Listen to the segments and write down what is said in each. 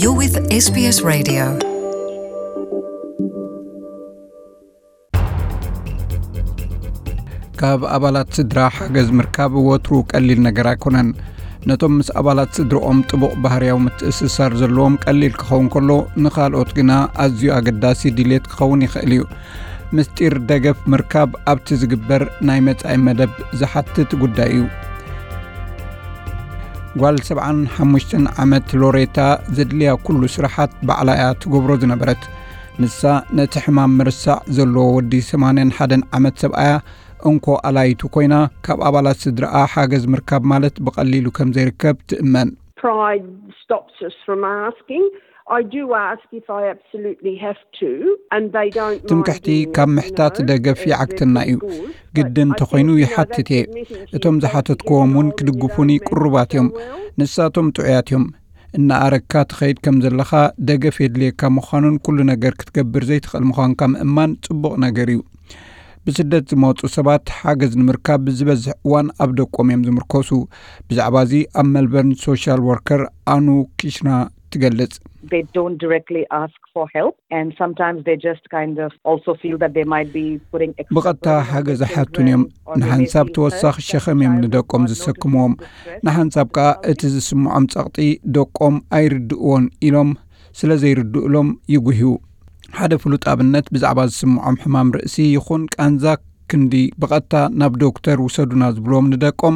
You're with S B S Radio. ካብ ኣባላት ስድራ ሓገዝ ምርካብ ወትሩ ቀሊል ነገር ኣይኮነን። ነቶም ምስ ኣባላት ስድርኦም ጥቡቕ ባህርያዊ ምትእስሳር ዘለዎም ቀሊል ክኸውን ከሎ፣ ንኻልኦት ግና ኣዝዩ ኣገዳሲ ድሌት ክኸውን ይኽእል እዩ። ምስጢር ደገፍ ምርካብ ኣብቲ ዝግበር ናይ መጻኢ መደብ ዝሓትት ጉዳይ እዩ። ጓል ሰብዓን ሓሙሽተን ዓመት ሎሬታ ዘድልያ ኩሉ ስራሓት ባዕላ እያ ትገብሮ ዝነበረት። ንሳ ነቲ ሕማም ምርሳዕ ዘለዎ ወዲ ሰማንያን ሓደን ዓመት ሰብኣያ እንኮ ኣላይቱ ኮይና፣ ካብ ኣባላት ስድራኣ ሓገዝ ምርካብ ማለት ብቐሊሉ ከም ዘይርከብ ትእመን። Pride stops us from asking. I do ask if I absolutely have to, and they don't mind ትምክሕቲ doing ካብ that, you ምሕታት know, ደገፍ uh, ይዓግተና they're እዩ። Good, but ግድን I ተኾይኑ think, you know, ይሓትት that's እየ። Admitting to እቶም yourself ዝሓተትክዎም እውን that you don't ክድግፉኒ feel ቅሩባት እዮም። Well, ንሳቶም ጥዑያት እዮም። እናኣረግካ ትኸይድ ከም ዘለኻ፣ ደገፍ የድልየካ ምዃኑን ኩሉ ነገር ክትገብር ዘይትኽእል ምዃንካ ምእማን ጽቡቕ ነገር እዩ። ብስደት ዝመጹ ሰባት ሓገዝ ንምርካብ ዝበዝሕ እዋን ኣብ ደቆም እዮም ዝምርኮሱ። ብዛዕባ እዚ ኣብ መልበርን ሶሻል ወርከር ኣኑ ኪሽና ትገልጽ። They don't directly ask for help, and sometimes they just kind of also feel that they might be putting extra ብቐጥታ burden on ሓገዝ their ኣይሓቱን እዮም። Children, or they may ንሓንሳብ feel ተወሳኺ hurt ሸኸም እዮም that ንደቆም child ዝሰክምዎም። Not noticing the distress. ንሓንሳብ ከኣ እቲ ዝስምዖም ጸቕጢ ደቆም ኣይርድእዎን ኢሎም ስለ ዘይርድእሎም ይጉህዩ። ሓደ ፍሉጥ ኣብነት ብዛዕባ ዝስምዖም ሕማም ርእሲ ይኹን ቃንዛ ክንዲ ብቐጥታ ናብ ዶክተር ውሰዱና ዝብልዎም ንደቆም፣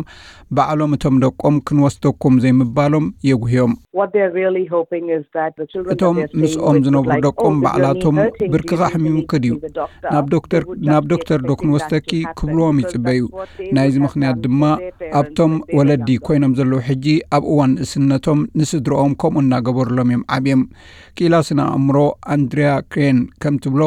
ባዕሎም እቶም ደቆም ክንወስደኩም ዘይምባሎም የጉህዮም። What they're really hoping is that the children that እቶም they're staying ምስኦም with would ዝነብሩ like, ደቆም "Oh, this is ባዕላቶም really hurting. Do ብርክኻ you need to ኣሕሚሙኪ meet ድዩ? With the doctor?" ናብ ዶክተር፣ They would ናብ just ዶክተር ዶ expecting that ክንወስደኪ to happen ክብልዎም because ይጽበዩ። That's what they ናይዚ would have ምኽንያት done ድማ for their ኣብቶም parents when they were ወለዲ younger. ኮይኖም ዘለዉ ሕጂ ኣብ እዋን ንእስነቶም ንስድርኦም ከምኡ እናገበሩሎም እዮም ዓብዮም። ክኢላ ስነ ኣእምሮ ኣንድሪያ ክሬን ከም ትብሎ፣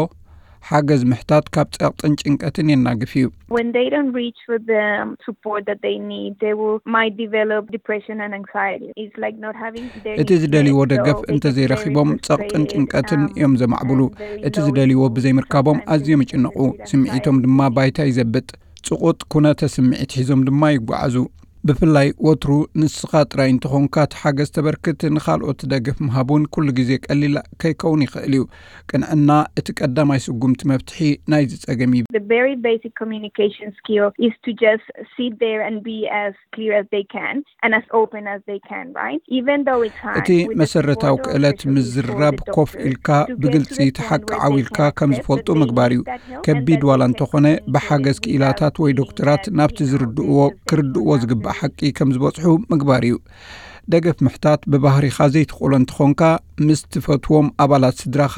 ሓገዝ ምሕታት ካብ ጸቕጥን ጭንቀትን የናግፍ እዩ። When they don't reach for the support that they need, they will might develop depression and anxiety. It's like not having their እቲ needs ዝደልይዎ met. ደገፍ So they እንተ get very ዘይረኺቦም ጸቕጥን frustrated, ጭንቀትን um, እዮም ዘማዕብሉ። And very እቲ ዝደልይዎ lonely ብዘይምርካቦም sometimes ኣዝዮም in ይጭነቑ። Sudafrika ስምዒቶም ድማ ባይታ ይዘብጥ። ጽቑጥ ኩነተ ስምዒት ሒዞም ድማ ይጓዓዙ። ብፍላይ ወትሩ ንስኻ ጥራይ እንተኾንካ እቲ ሓገዝ ተበርክት፣ ንኻልኦት ደገፍ ምሃብ እውን ኩሉ ግዜ ቀሊል ከይከውን ይኽእል እዩ። ቅንዕና እቲ ቀዳማይ ስጉምቲ መፍትሒ ናይዚ ጸገም እዩ። The very basic communication skill is to just sit there and be as clear as they can and as open as they can, right? Even though it's hard, እቲ with the መሰረታዊ support of ክእለት social ምዝርራብ፣ social ኮፍ worker ኢልካ to get to ብግልጺ the point where ተሓቃዓዊ they ኢልካ can ከም accept ዝፈልጡ that they ምግባር እዩ። Need that help and ከቢድ that ዋላ they can እንተኾነ፣ communicate ብሓገዝ with ክኢላታት that ወይ feeling ዶክተራት that ናብቲ you know ዝርድእዎ they just ክርድእዎ ዝግባእ ሓቂ ከም ዝበጽሑ ምግባር እዩ። ደገፍ ምሕታት ብባህሪኻ ዘይትኽእሎ እንተኾንካ፣ ምስ ትፈትዎም ኣባላት ስድራኻ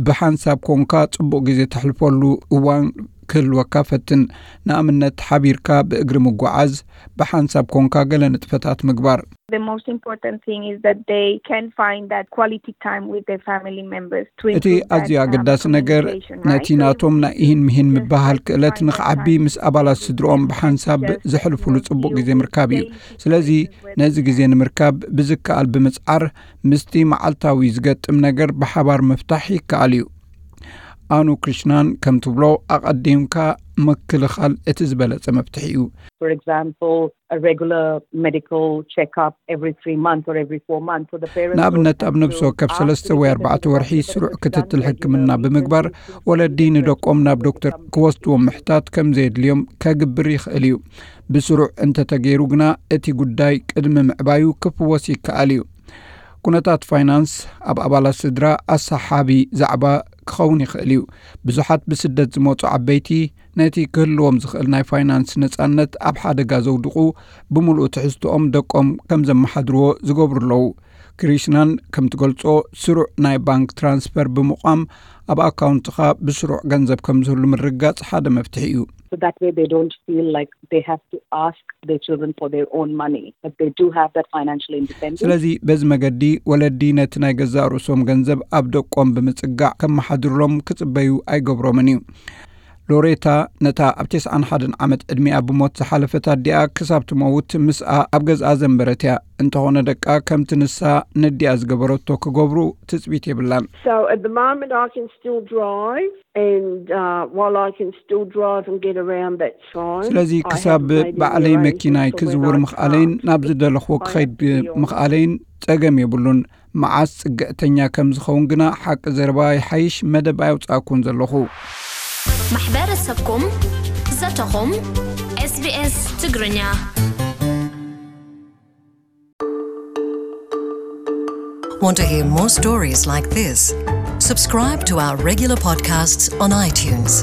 ብሓንሳብ ኮንካ ጽቡቕ ግዜ ተሕልፈሉ እዋን ክህልወካ ፈትን። ንኣብነት፣ ሓቢርካ ብእግሪ ምጓዓዝ፣ ብሓንሳብ ኮንካ ገለ ንጥፈታት ምግባር። The most important thing is that they can find that quality time with their family members to እቲ improve ኣዝዩ that, um, ኣገዳሲ ነገር፣ communication, right? ነቲ So ናቶም ናይ ኢሂን ምሂን ምብህሃል ክእለት ንኽዓቢ፣ ምስ ኣባላት ስድርኦም ብሓንሳብ ዘሕልፉሉ ጽቡቕ ግዜ ምርካብ እዩ። ስለዚ፣ ነዚ ግዜ ንምርካብ ብዝከኣል ብምጽዓር፣ ምስቲ መዓልታዊ ዝገጥም ነገር ብሓባር ምፍታሕ ይከኣል እዩ። ኣኑ ክሪሽናን ከም ትብሎ፣ ኣቐዲምካ ምክልኻል እቲ ዝበለጸ መፍትሒ እዩ። For example, a regular medical checkup every three months or every four months. So the parents ንኣብነት፣ ኣብ ነፍሲ ወከፍ ሰለስተ ወይ ኣርባዕተ ወርሒ ስሩዕ ክትትል ሕክምና ብምግባር፣ ወለዲ ንደቆም ናብ ዶክተር ክወስድዎም ምሕታት ከም ዘየድልዮም ከግብር ይኽእል እዩ። ብስሩዕ እንተተገይሩ ግና፣ እቲ ጉዳይ ቅድሚ ምዕባዩ ክፍወስ ይከኣል እዩ። ኩነታት ፋይናንስ ኣብ ኣባላት ስድራ ኣሰሓቢ ዛዕባ ክኸውን ይኽእል እዩ። ብዙሓት ብስደት ዝመጹ ዓበይቲ፣ ነቲ ክህልዎም ዝኽእል ናይ ፋይናንስ ነጻነት ኣብ ሓደጋ ዘውድቑ፣ ብምሉእ ትሕዝትኦም ደቆም ከም ዘመሓድርዎ ዝገብሩ ኣለዉ። ክሪሽናን ከም ትገልጾ፣ ስሩዕ ናይ ባንክ ትራንስፈር ብምቋም፣ ኣብ ኣካውንትኻ ብስሩዕ ገንዘብ ከም ዝህሉ ምርግጋጽ ሓደ መፍትሒ እዩ። So that way they don't feel like they have to ask their children for their own money, but they do have that financial independence. ስለዚ፣ በዚ መገዲ፣ ወለዲ ነቲ ናይ ገዛእ ርእሶም ገንዘብ ኣብ ደቆም ብምጽጋዕ ከመሓድሩሎም ክጽበዩ ኣይገብሮምን እዩ። ሎሬታ፣ ነታ ኣብ ተስዓን ሓደን ዓመት ዕድሚኣ ብሞት ዝሓለፈት ኣዲኣ ክሳብ ትመውት ምስኣ ኣብ ገዝኣ ዘንበረት እያ። እንተኾነ፣ ደቃ ከምቲ ንሳ ነዲኣ ዝገበረቶ ክገብሩ ትጽቢት የብላን። So at the moment I can still drive, and, uh, while I can still drive and get around, that's fine. ስለዚ፣ I ክሳብ have made ባዕለይ inroads መኪናይ into ክዝውር where I ምኽኣለይን can't. ናብ ዝደለኽዎ ክኸይድ ምኽኣለይን ጸገም የብሉን። መዓስ ጽግዕተኛ ከም ዝኸውን ግና ሓቂ ዘረባ ይሓይሽ መደብ ኣየውጻእኩን ዘለኹ። ማሕበረሰብኩም ዘተኹም SBS ትግርኛ Want to hear more stories like this? Subscribe to our regular podcasts on iTunes.